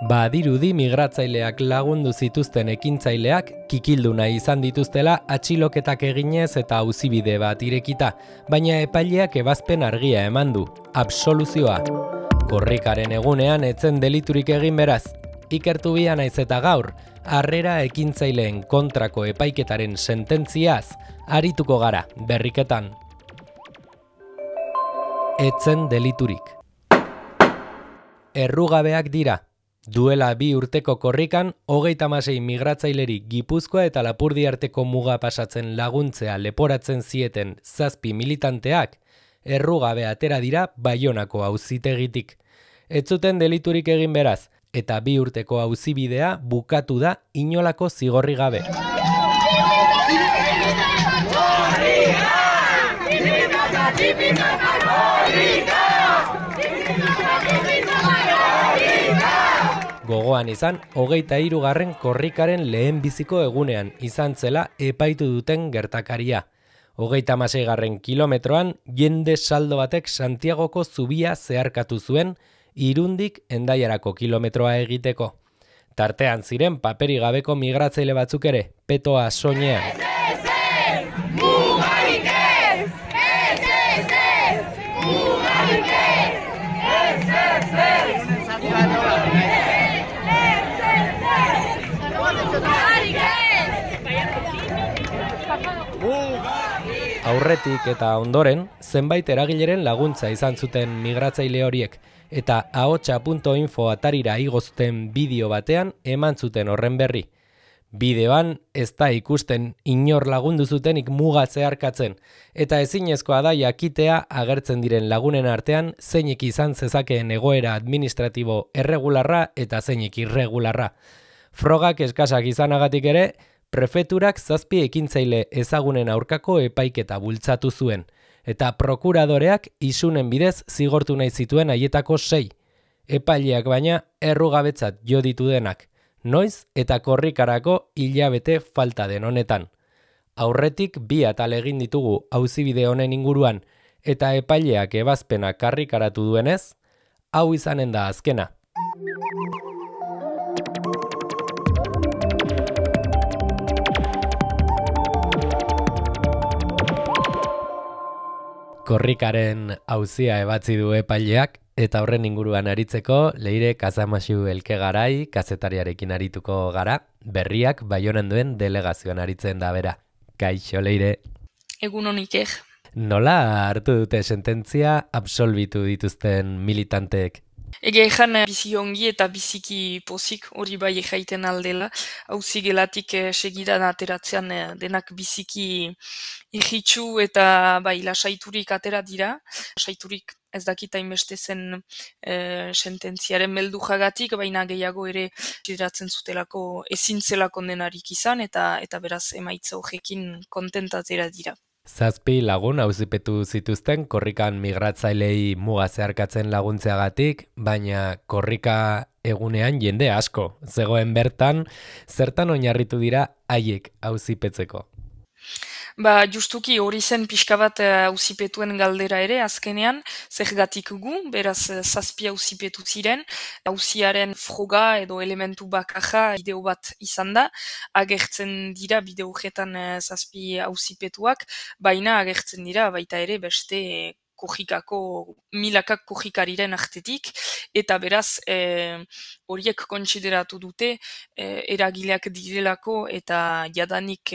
Badirudi migratzaileak lagundu zituzten ekintzaileak kikildu nahi izan dituztela atxiloketak eginez eta auzibide bat irekita, baina epaileak ebazpen argia eman du, absoluzioa. Korrikaren egunean etzen deliturik egin beraz, ikertu bia naiz eta gaur, harrera ekintzaileen kontrako epaiketaren sententziaz arituko gara berriketan. Etzen deliturik. Errugabeak dira. Duela 2 urteko korrikan, 36 migratzaileri Gipuzkoa eta Lapurdi arteko muga pasatzen laguntzea leporatzen zieten 7 militanteak, errugabe atera dira Baionako auzitegitik. Ez zuten deliturik egin beraz, eta 2 urteko auzibidea bukatu da inolako zigorri gabe. Gogoan izan, 23. korrikaren lehenbiziko egunean izan zela epaitu duten gertakaria. 36. kilometroan jende saldo batek Santiagoko zubia zeharkatu zuen, Irundik Hendaiarako kilometroa egiteko. Tartean ziren paperi gabeko migratzaile batzuk ere, petoa soinean. Aurretik eta ondoren, zenbait eragileren laguntza izan zuten migratzaile horiek, eta ahotsa.info atarira igo zuten bideo batean eman zuten horren berri. Bideoan ez da ikusten inor lagundu zutenik muga zeharkatzen, eta ezinezkoa da jakitea agertzen diren lagunen artean zeinek izan zezakeen egoera administratibo erregularra eta zeinek irregularra. Frogak eskasak izanagatik ere, prefeturak 7 ekintzaile ezagunen aurkako epaiketa bultzatu zuen, eta prokuradoreak isunen bidez zigortu nahi zituen haietako 6. Epaileak baina errugabetzat jo ditu denak, noiz eta korrikarako hilabete falta den honetan. Aurretik 2 atal egin ditugu auzibide honen inguruan, eta epaileak ebazpena karrikaratu duenez, hau izanen da azkena. Korrikaren auzia ebatzi du epaileak, eta horren inguruan aritzeko Leire Kazamaxu Elkegarai kazetariarekin arituko gara, berriak Baionan duen delegazioan aritzen da bera. Kaixo, Leire. Egun honik. Nola hartu dute sententzia absolbitu dituzten militanteek? Ege ezan bizi ongi eta biziki pozik hori bai jaiten aldela. Auzi gelatik segidan ateratzean denak biziki irritsu eta bai lasaiturik atera dira. Lasaiturik ez dakit hainbeste zen sententziaren beldu jagatik, baina gehiago ere konsideratzen zutelako ezin zela kondenarik izan eta beraz emaitza horrekin kontentatera dira. 7 lagun auzipetu zituzten korrikan migratzailei muga zeharkatzen laguntzeagatik, baina korrika egunean jende asko zegoen bertan, zertan oinarritu dira haiek auzipetzeko. Justuki hori zen pixka bat auzipetuen galdera ere, azkenean, zergatik gu, beraz 7 auzipetu ziren, auziaren froga edo elementu bakarra bideo bat izan da, agertzen dira bideo horretan 7 auzipetuak, baina agertzen dira baita ere beste milakak korrikariren artetik, eta beraz horiek kontsideratu dute eragileak direlako eta jadanik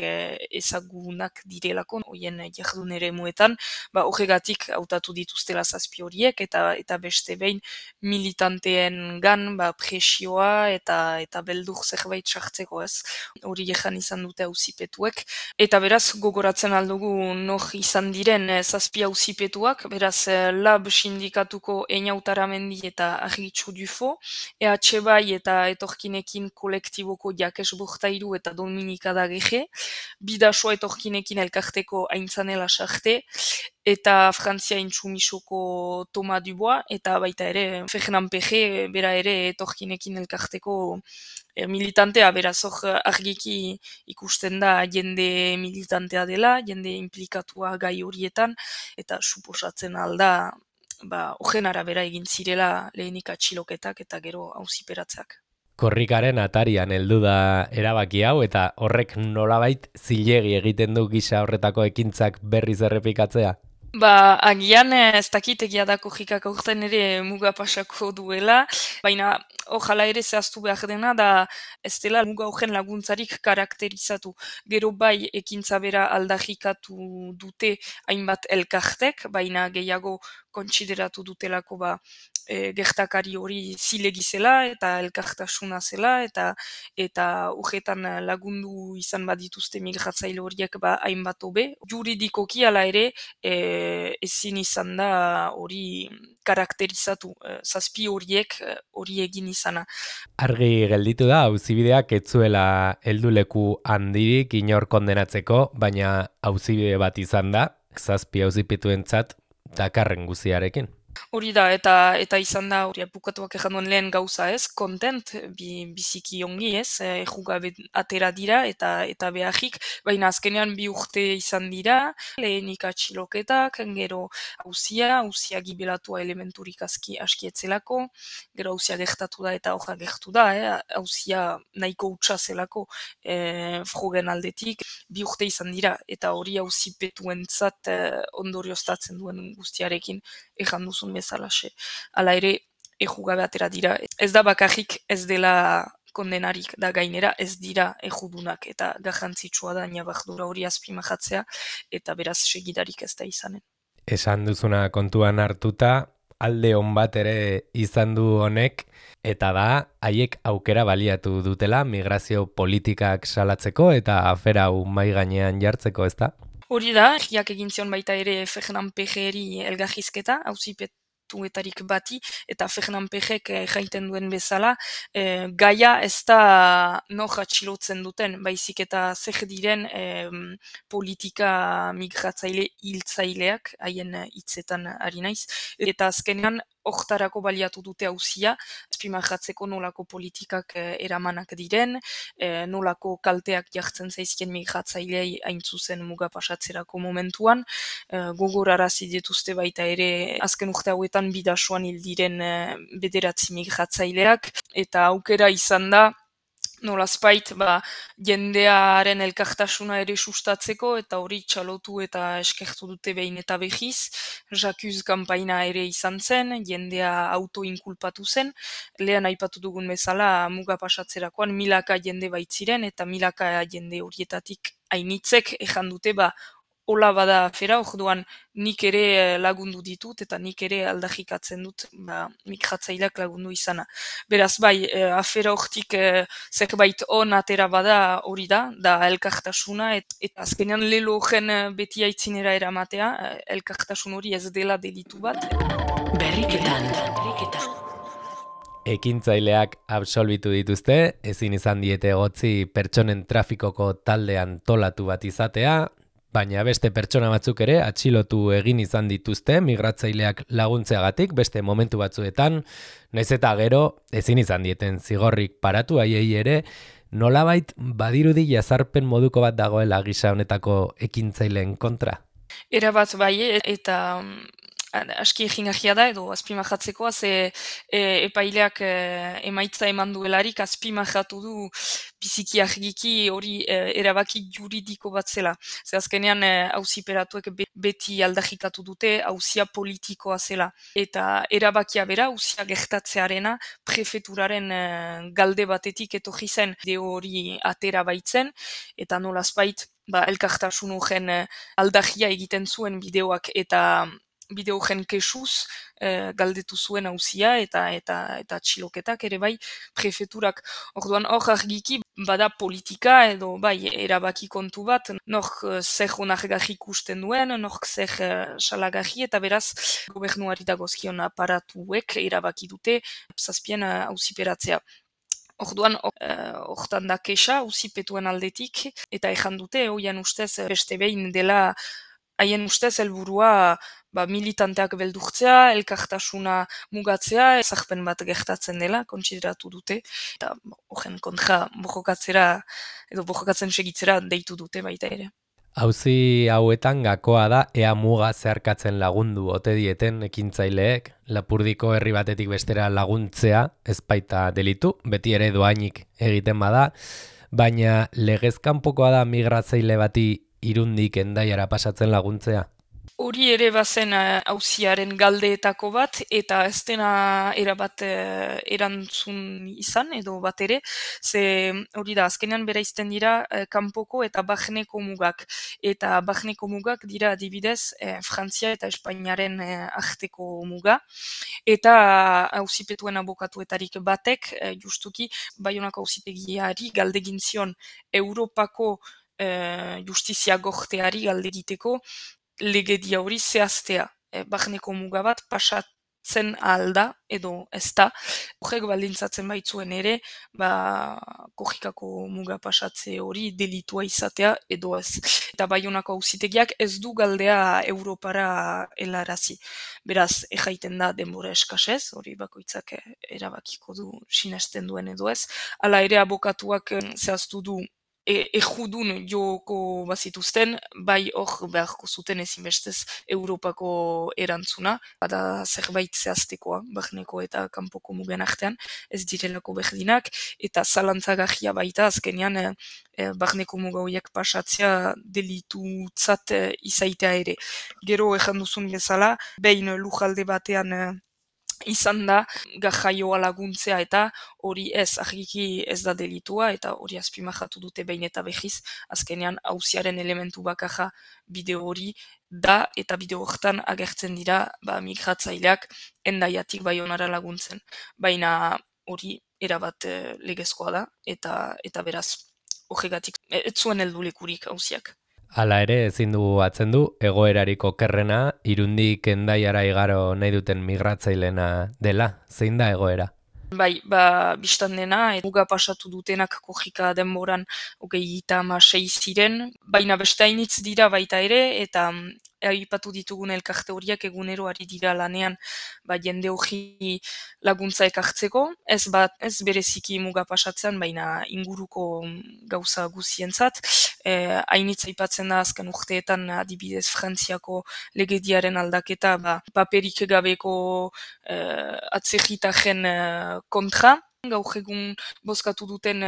ezagunak direlako, horien jardun ere muetan, horregatik hautatu dituztela 7 horiek, eta beste behin militanteen gan presioa eta beldur zerbait sartzeko ez. Hori jehan izan dute auzipetuek, eta beraz gogoratzen aldugu nor izan diren 7 auzipetuak, beraz Lab sindikatuko Einautara-Mendi eta Argitxu Dufo, EH bai eta etorkinekin kolektiboko Jakes Bortairu eta Dominika Dageje, Bidasoa etorkinekin elkarteko Aintzanela Sarte, eta Frantzia Intsumisoko Toma Dubois, eta baita ere Fernan Peje, bera ere etorkinekin elkarteko militantea, beraz hor argiki ikusten da jende militantea dela, jende implikatua gai horietan, eta suposatzen alda, horren arabera egin zirela lehenik atxiloketak eta gero auziperatzak. Korrikaren atarian heldu da erabaki hau eta horrek nolabait zilegi egiten du gisa horretako ekintzak berriz errepikatzea. Agian ez dakit egia da kojikak aurten ere muga pasako duela, baina ojala ere zehaztu behar dena da ez dela muga horren laguntzarik karakterizatu. Gero bai ekintza bera aldarrikatu dute hainbat elkartek, baina gehiago kontsideratu dutelako gertakari hori zilegi zela eta elkartasuna zela eta urretan lagundu izan badituzte migratzaile horiek hainbat hobe. Juridikoki hala ere ezin izan da hori karakterizatu, zazpi horiek hori egin izana. Argi gelditu da auzibideak ez zuela helduleku handirik inor kondenatzeko, baina auzibide bat izan da, zazpi auzipituentzat dakarren guziarekin. Hori da, eta izan da, hori bukatuak ejan duen lehen gauza ez, kontent, biziki ongi ez, ejugabe atera dira eta beharrik, baina azkenean 2 urte izan dira, lehenik atxiloketak, gero hauzia gibelatua elementurik askietzelako, gero hauzia gertatu da eta hoja gertu da, hauzia nahiko utxa zelako frogen aldetik, 2 urte izan dira, eta hori hauzipetuentzat ondorioztatzen duen guztiarekin, ejan duzun bezalaxe. Hala ere, ejugabe atera dira. Ez da bakarrik ez dela kondenarik da gainera ez dira ejudunak eta garrantzitsua da nabardura hori azpimarratzea eta beraz segidarik ez da izanen. Esan duzuna kontuan hartuta, alde on bat ere izan du honek, eta da, haiek aukera baliatu dutela migrazio politikak salatzeko eta afera hau mai gainean jartzeko, ezta? Hori da, herriak egin zion baita ere Fernan Pejeri elgarrizketa, auzipetuetarik bati, eta Fernan Pejek jaiten duen bezala, gaia ez da nor atxilotzen duten, baizik eta zer diren politika migratzaile hiltzaileak, haien hitzetan ari naiz, eta azkenean hortarako baliatu dute hauzia, azpimarratzeko nolako politikak eramanak diren, nolako kalteak jartzen zaizkien migratzailei hain zuzen muga pasatzerako momentuan, gogorarazi dituzte baita ere azken urte hauetan bidasoan hil diren 9 migratzaileak, eta aukera izan da nolazpait jendearen elkartasuna ere sustatzeko eta hori txalotu eta eskertu dute behin eta behiz. Jakuz kanpaina ere izan zen, jendea autoinkulpatu zen. Lehen aipatu dugun bezala muga pasatzerakoan milaka jende baitziren eta milaka jende horietatik hainitzek ejan dute hola bada afera, orduan nik ere lagundu ditut eta nik ere aldarrikatzen dut migratzaileak lagundu izana. Beraz afera hortik zerbait on atera bada hori da elkartasuna eta azkenean lelo horren beti aitzinera eramatea, elkartasun hori ez dela delitu bat. Berriketan. Ekintzaileak absolbitu dituzte, ezin izan diete egotzi pertsonen trafikoko talde antolatu bat izatea, baina beste pertsona batzuk ere atxilotu egin izan dituzte migratzaileak laguntzeagatik beste momentu batzuetan, naiz eta gero ezin izan dieten zigorrik paratu haiei ere, nolabait badirudi jazarpen moduko bat dagoela gisa honetako ekintzaileen kontra. Erabat bai, eta aski egingarria da edo azpimarratzekoa, ze epaileak emaitza eman duelarik azpimarratu du biziki argiki hori erabaki juridiko bat zela. Ze azkenean auziperatuek beti aldarrikatu dute auzia politikoa zela. Eta erabakia bera, auzia gertatzearena prefeturaren galde batetik etorri zen deo hori atera baitzen, eta nolazbait elkartasun horren aldarria egiten zuen bideoak eta bideo horren kesuz galdetu zuen auzia eta atxiloketak ere prefeturak. Orduan hor argiki bada politika edo erabaki kontu bat, nork zer onargarri ikusten duen, nork zer salagarri eta beraz gobernuari dagozkion aparatuek erabaki dute zazpien auziperatzea. Orduan, hortan da kesa, auzipetuen aldetik, eta ejan dute, hoian ustez, beste behin dela, haien ustez, helburua militanteak beldurtzea, elkartasuna mugatzea, ezarpen bat gertatzen dela, kontsideratu dute, eta horren kontra borrokatzera, edo borrokatzen segitzera deitu dute baita ere. Auzi hauetan gakoa da ea muga zeharkatzen lagundu ote dieten ekintzaileek, Lapurdiko herri batetik bestera laguntzea ez baita delitu, beti ere dohainik egiten bada, baina legez kanpokoa da migratzaile bati Irundik Hendaiara pasatzen laguntzea. Hori ere bazen auziaren galdeetako bat, eta ez dena erabat erantzun izan, edo bat ere, ze hori da, azkenean bereizten dira kanpoko eta barneko mugak. Eta barneko mugak dira adibidez Frantzia eta Espainiaren arteko muga. Eta auzipetuen abokatuetarik batek, justuki, Baionako auzitegiari galdegin zion Europako justizia gorteari galdegiteko legedia hori zehaztea. Barneko muga bat pasatzen alda edo ez da. Horrek baldintzatzen baitzuen ere, Korrikako muga pasatze hori delitua izatea edo ez. Eta Baionako auzitegiak ez du galdea Europara helarazi. Beraz, erraiten da denbora eskasez, hori bakoitzak erabakiko du sinesten duen edo ez. Hala ere abokatuak zehaztu du ejudun joko bazituzten, bai hor beharko zuten ezinbestez Europako erantzuna, bada zerbait zehaztekoa, barneko eta kanpoko mugen artean, ez direlako berdinak, eta zalantzagahia baita azkenean barneko muga horiek pasatzea delitutzat izaitea ere. Gero ejan duzun bezala, behin lujalde batean izan da gajaioa laguntzea eta hori ez, argiki ez da delitua eta hori azpimajatu dute behin eta behiz, azkenean auziaren elementu bakarra bideo hori da eta bideo horretan agertzen dira migratzaileak Hendaiatik Baionara laguntzen. Baina hori erabat legezkoa da eta beraz horregatik ez zuen heldulekurik auziak. Hala ere ezin dugu atzen du egoerarik okerrena Irundik Hendaiara igaro nahi duten migratzailena dela. Zein da egoera? Bai, bistan dena, muga pasatu dutenak korrika denboran 36 ziren, baina beste hainitz dira baita ere, eta aipatu ditugun elkarte horiek egunero ari dira lanean jende hori laguntza ekartzeko, ez bereziki muga pasatzean, baina inguruko gauza guzientzat. Hainitz aipatzen da azken urteetan adibidez Frantziako legediaren aldaketa paperik gabeko atzerritaren kontra. Gaur egun bozkatu duten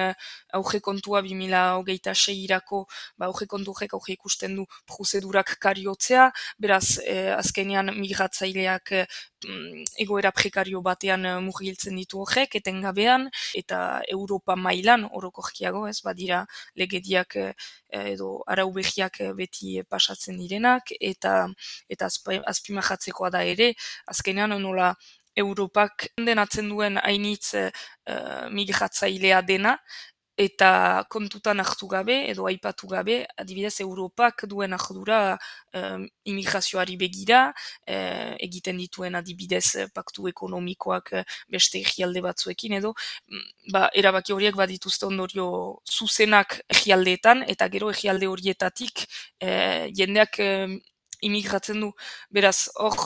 aurrekontua 2026-irako aurrekontuak aurre ikusten du prozedurak kariotzea, beraz azkenean migratzaileak egoera prekario batean murgiltzen ditu horrek, etengabean, eta Europa mailan orokorkiago, ez badira legediak edo arau behiak beti pasatzen direnak, eta azpimajatzekoa da ere, azkenean nola Europak denatzen duen hainitz migratzailea dena, eta kontutan hartu gabe edo aipatu gabe, adibidez Europak duen ardura immigrazioari begira, egiten dituen adibidez paktu ekonomikoak beste egialde batzuekin edo, erabaki horiek badituzte ondorio zuzenak egialdeetan, eta gero egialde horietatik jendeak imigratzen du, beraz hor,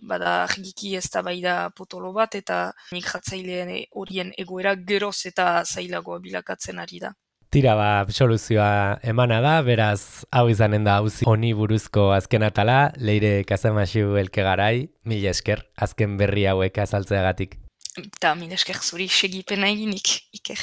bada argiki ez da potolo bat, eta migratzaileen horien egoera geroz eta zailagoa bilakatzen ari da. Tira soluzioa emana da, beraz hau izanen da auzi honi buruzko azken atala, Leire Kasamaxu Elkegarai, mila esker azken berri hauek azaltzeagatik. Eta mila esker zuri segipena eginik, Iker.